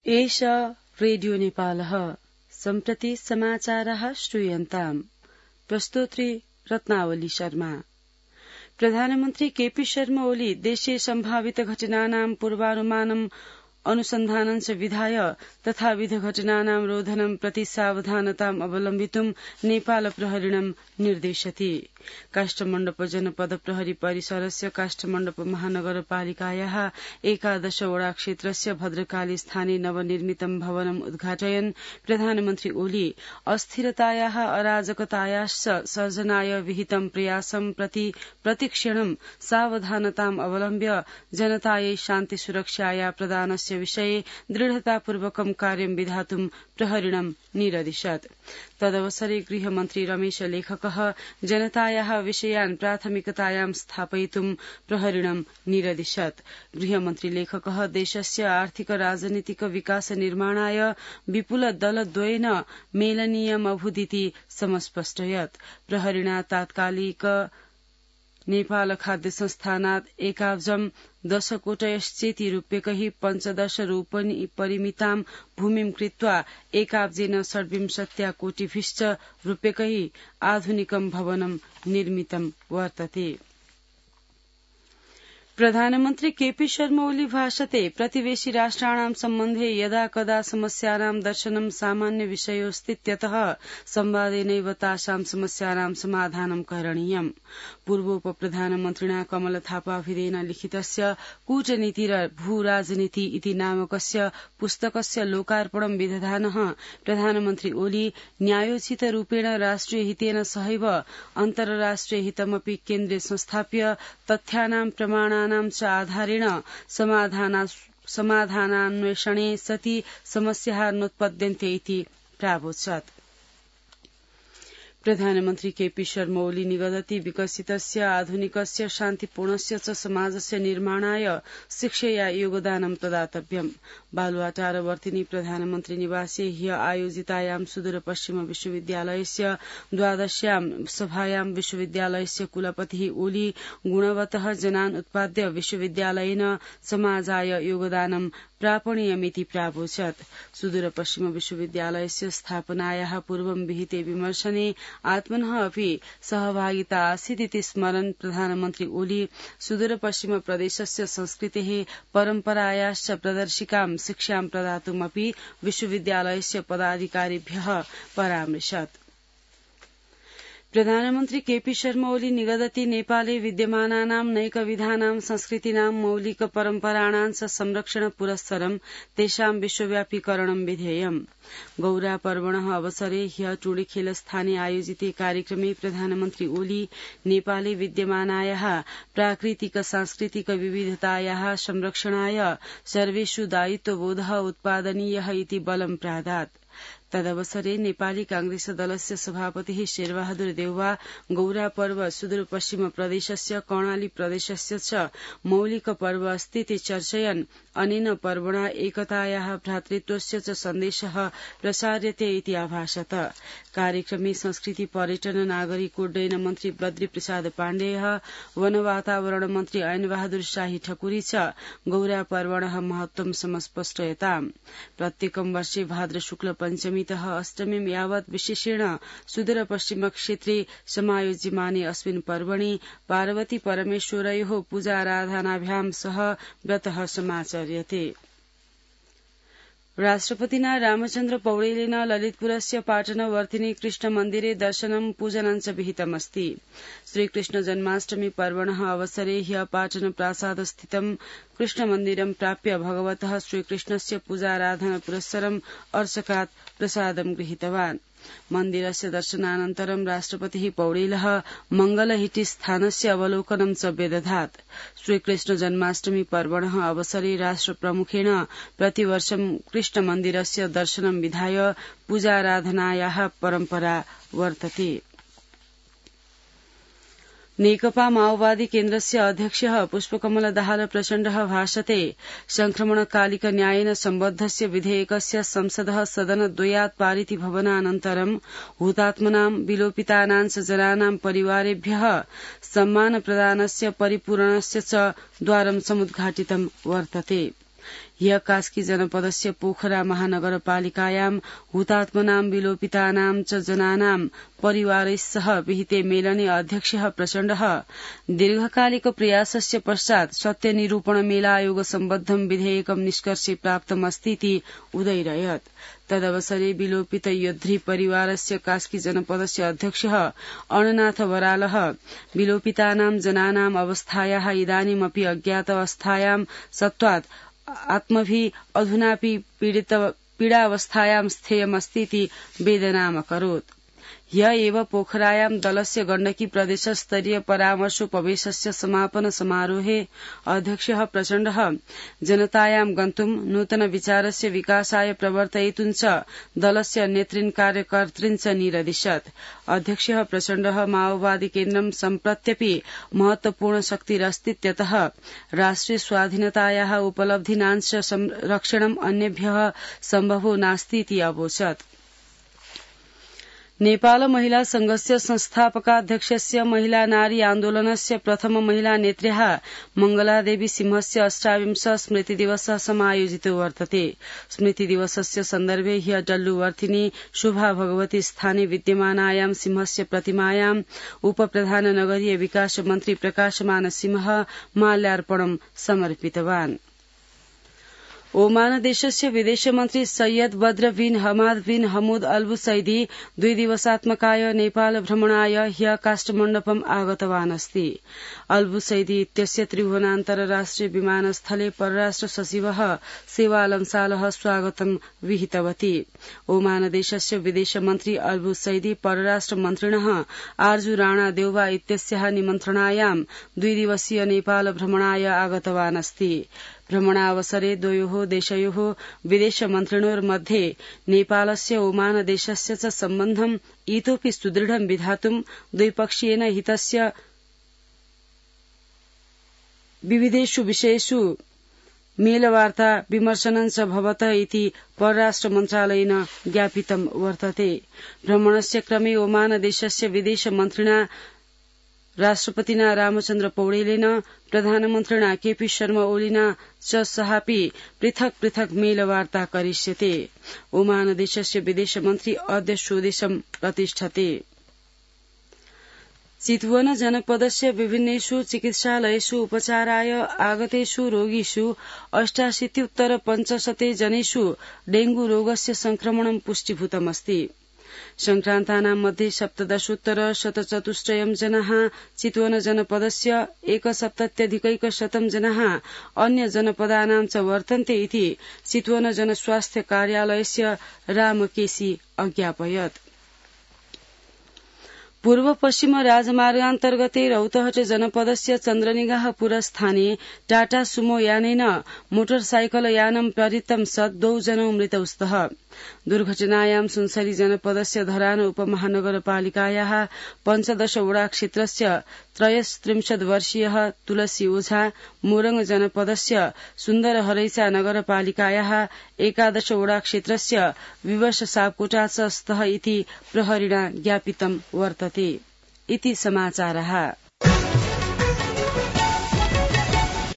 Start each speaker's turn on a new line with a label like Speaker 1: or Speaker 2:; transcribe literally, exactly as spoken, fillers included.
Speaker 1: एष रेडियो नेपालः सम्प्रति समाचारः श्रूयन्ताम्। प्रस्तोत्री रत्नावली शर्मा। प्रधानमन्त्री केपी शर्मा ओली देशे सम्भावित घटनानां पूर्वानुमानम् अनुसन्धानं च विधाय तथाविध घटनानां रोधनं प्रति सावधानताम् अवलम्बितुं नेपाल प्रहरिणं निर्देशति। काष्ठमण्डप जनपद प्रहरी परिसरस्य काष्ठमण्डप महानगरपालिकायाः एकादश वडा क्षेत्रस्य भद्रकाली स्थाने नवनिर्मितं भवनम् उद्घाटयन् प्रधानमन्त्री ओली अस्थिरतायाः अराजकतायाश्च सर्जनाय विहितं प्रयासं प्रति प्रतिक्षणं सावधानताम् अवलम्ब्य जनतायै शान्ति सुरक्षाया प्रदानस्य विषये दृढतापूर्वकं कार्यं विधातुं प्रहरिणं निरदिशत्। तदवसरे गृहमन्त्री रमेश लेखकः जनतायाः विषयान् प्राथमिकतायां स्थापयितुं प्रहरिणं निरदिशत्। गृहमन्त्री लेखकः देशस्य आर्थिक राजनीतिक विकास निर्माणाय विपुल दलद्वयेन मेलनीयमभूदिति समस्पष्टयत्। प्रहरिणा तात्कालिक नेपाल खाद्य संस्थानात् एकाब्जं दशकोटयश्चेति रूप्यकैः पञ्चदश रूपनि परिमितां भूमिं कृत्वा एकाब्जेन षड्विंशत्या कोटिभिश्च रूप्यकैः आधुनिकं भवनं निर्मितं वर्तते। प्रधानमन्त्री केपी शर्मा ओली भाषते प्रतिवेशि राष्ट्राणां सम्बन्धे यदा कदा समस्यानां दर्शनं सामान्य विषयोऽस्तीत्यतः संवादेनैव तासां समस्यानां समाधानं करणीयम्। पूर्वोपप्रधानमन्त्रिणा कमल थापाभिधेन लिखितस्य कूटनीतिर भूराजनीति इति नामकस्य पुस्तकस्य लोकार्पणं विदधानः प्रधानमन्त्री ओली न्यायोचितरूपेण राष्ट्रिय हितेन सहैव अन्तर्राष्ट्रिय हितमपि केन्द्रे संस्थाप्य तथ्यानां प्रमाणानां च आधारेण समाधानान्वेषणे सति समस्याः नोत्पद्यन्ते इति प्रावोचत्। प्रधानमन्त्री केपी शर्मा ओली निगदति विकसितस्य आधुनिकस्य शान्तिपूर्णस्य च समाजस्य निर्माणाय शिक्षया योगदानं प्रदातव्यम्। बालुवाटारवर्तिनी प्रधानमन्त्री निवासे ह्य आयोजितायां सुदूरपश्चिम विश्वविद्यालयस्य द्वादश्यां सभायां विश्वविद्यालयस्य कुलपतिः ओली गुणवतः जनान् उत्पाद्य विश्वविद्यालयेन समाजाय योगदानं प्रापणीयमिति प्रावोचत्। सुदूरपश्चिम विश्वविद्यालयस्य स्थापनायाः पूर्वं विहिते विमर्शने आत्मनः अपि सहभागिता आसीदिति स्मरन् प्रधानमन्त्री ओली सुदूरपश्चिम प्रदेशस्य संस्कृतेः परम्परायाश्च प्रदर्शिकां शिक्षां प्रदातुमपि विश्वविद्यालयस्य पदाधिकारिभ्यः परामृशत्। प्रधानमन्त्री केपी शर्मा ओली निगदति नेपाले विद्यमानानां नैकविधानां संस्कृतीनां मौलिक परम्पराणां च संरक्षण पुरस्सरं तेषां विश्वव्यापीकरणं विधेयम्। गौरा पर्वणः अवसरे ह्य टोलीखेल स्थाने आयोजिते कार्यक्रमे प्रधानमन्त्री ओली नेपाले विद्यमानायाः प्राकृतिक सांस्कृतिक विविधतायाः संरक्षणाय सर्वेषु दायित्वबोधः उत्पादनीयः इति बलं प्रादात्। तदवसरे नेपाली कांग्रेस दलस्य सभापतिः शेरबहादुर देउवा गौरा पर्व सुदूरपश्चिम प्रदेशस्य कर्णाली प्रदेशस्य च मौलिक पर्व अस्तीति चर्चयन् अनेन पर्वणा एकतायाः भ्रातृत्वस्य च सन्देशः प्रसार्यते इति आभाषत। कार्यक्रमे संस्कृति पर्यटन नागरिक उड्डयन मन्त्री बद्री प्रसाद पाण्डेय वन वातावरण मन्त्री ऐन बहादुर शाही ठकुरी च गौरा पर्वणः महत्वं समस्पष्टयताम्। प्रत्येकं वर्षे भाद्र शुक्ल पञ्चमीतः अष्टमीं यावत् विशेषेण सुदूरपश्चिम क्षेत्रे समायोज्यमाने अस्मिन् पर्वणि पार्वती परमेश्वरयोः पूजाराधनाभ्यां सह व्रतः समाचर्यते। राष्ट्रपतिना रामचन्द्र पौडेलेन ललितपुरस्य पाटनवर्तिनी कृष्ण मन्दिरे दर्शनं पूजनं च विहितमस्ति। श्रीकृष्ण जन्माष्टमी पर्वणः अवसरे ह्य पाटन प्रासादस्थितं कृष्ण मन्दिरं प्राप्य भगवतः श्रीकृष्णस्य पूजाराधना पुरस्सरं अर्चकात् प्रसादं गृहीतवान्। मन्दिरस्य दर्शनानन्तरं राष्ट्रपतिः पौडेलः मंगलहिटी स्थानस्य अवलोकनं च व्यदधात्। श्रीकृष्ण जन्माष्टमी पर्वणः अवसरे राष्ट्रप्रमुखेण प्रतिवर्षं कृष्ण मन्दिरस्य दर्शनं विधाय पूजाराधनायाः परम्परा वर्तते। नेकपा माओवादी केन्द्रस्य अध्यक्षः पुष्पकमल दाहाल प्रचण्डः भाषते संक्रमणकालिक न्यायेन सम्बद्धस्य विधेयकस्य संसदः सदनद्वयात् पारिति भवनानन्तरं हुतात्मनां विलोपितानां च जनानां परिवारेभ्यः सम्मान प्रदानस्य परिपूरणस्य च द्वारं समुद्घाटितं वर्तते। ह्य कास्की जनपदस्य पोखरा महानगरपालिकायां हुतात्मनां विलोपितानां च जनानां परिवारैस्सह विहिते मेलने अध्यक्षः प्रचण्डः दीर्घकालिक प्रयासस्य पश्चात् सत्यनिरूपण मेलायोग सम्बद्धं विधेयकं निष्कर्षे प्राप्तमस्तीति उदैरयत्। तदवसरे विलोपित योद्ध्री परिवारस्य कास्की जनपदस्य अध्यक्षः अणनाथ बरालः विलोपितानां जनानां अवस्थायाः इदानीमपि अज्ञात अवस्थायां सत्त्वात् आत्मभिः अधुनापि पीडावस्थायां स्थेयमस्तीति वेदनामकरोत्। ह्य एव पोखरायां दलस्य गण्डकी प्रदेशस्तरीय परामर्शोपवेशस्य समापन समारोहे अध्यक्षः प्रचण्डः जनतायां गन्तुं नूतन विचारस्य विकासाय प्रवर्तयितुं च दलस्य नेतृन् कार्यकर्तृन् च निरदिशत्। अध्यक्षः प्रचण्डः माओवादी केन्द्रं सम्प्रत्यपि महत्वपूर्ण शक्तिरस्तीत्यतः राष्ट्रिय स्वाधीनतायाः उपलब्धीनाञ्च संरक्षणम् अन्येभ्यः सम्भवो नास्तीति अवोचत्। नेपाल महिला संघस्य संस्थापकाध्यक्षस्य महिला नारी आन्दोलनस्य प्रथम महिला नेत्र्याः मंगलादेवी सिंहस्य अष्टाविंश स्मृतिदिवसः समायोजितो वर्तते। स्मृतिदिवसस्य सन्दर्भे ह्य डल्लुवर्थिनी शुभा भगवती स्थाने विद्यमानायां सिंहस्य प्रतिमायाम् उपप्रधान नगरीय विकास मन्त्री प्रकाशमान सिंह माल्यार्पणं समर्पितवान्। ओमान देशस्य विदेशमन्त्री सैयद बद्र बिन हमाद बिन हमूद अल बुसैदी द्वि दिवसात्मकाय नेपाल भ्रमणाय ह्य काष्ठमण्डपम् आगतवान् अस्ति। अल बुसैदी इत्यस्य त्रिभुवनान्तरराष्ट्रिय विमानस्थले परराष्ट्र सचिवः सेवालमसालः स्वागतं विहितवती। ओमान देशस्य विदेशमन्त्री अल बुसैदी परराष्ट्र मन्त्रिणः आर्जु राणा देउवा इत्यस्याः निमन्त्रणायां द्वि दिवसीय नेपाल भ्रमणाय आगतवान् अस्ति। भ्रमणावसरे द्वयोः देशयोः विदेशमन्त्रिणोर्मध्ये नेपालस्य ओमान देशस्य च सम्बन्धम् इतोपि सुदृढं विधातुं द्विपक्षीयेन हितस्य विविधेषु विषयेषु मेलवार्ता विमर्शनं च भवत इति परराष्ट्र मन्त्रालयेन ज्ञापितं वर्तते। भ्रमणस्य क्रमे ओमान देशस्य विदेशमन्त्रिणा राष्ट्रपतिना रामचन्द्र पौडेलेन प्रधानमन्त्रिणा केपी शर्मा ओलीना च सहापि पृथक् पृथक् मेलवार्ता करिष्यते। ओमान देशस्य विदेशमन्त्री अद्य स्वदेशं प्रतिष्ठते। चितवन जनपदस्य विभिन्नेषु चिकित्सालयेषु उपचाराय आगतेषु रोगिषु अष्टाशीत्युत्तर पञ्चशते जनेषु डेंगू रोगस्य संक्रमणं पुष्टीभूतमस्ति। संक्रान्तानां मध्ये सप्तदशोत्तर शतचतुष्टयं जनाः चितवन जनपदस्य एकसप्तत्यधिकैकशतं जनाः अन्य जनपदानां च वर्तन्ते इति चितवन जनस्वास्थ्य कार्यालयस्य रामकेशी अज्ञापयत्। पूर्व पश्चिम राजमार्गान्तर्गते रौतहट जनपदस्य चन्द्रनिगाहपुरस्थाने टाटा सुमो यानेन मोटरसाइकल यानं प्रवृत्तं सत् द्वौ जनौ मृतौ स्तः। दुर्घटनायां सुनसरी जनपदस्य धरान उपमहानगरपालिकायाः पञ्चदश वडा क्षेत्रस्य त्रयस्त्रिंशत् वर्षीयः तुलसी ओझा, मोरङ जनपदस्य सुन्दरहरैसा नगरपालिकायाः एकादश वडा क्षेत्रस्य विवश सापकोटा च स्तः इति प्रहरिणा ज्ञापितं वर्तते। इति समाचारः।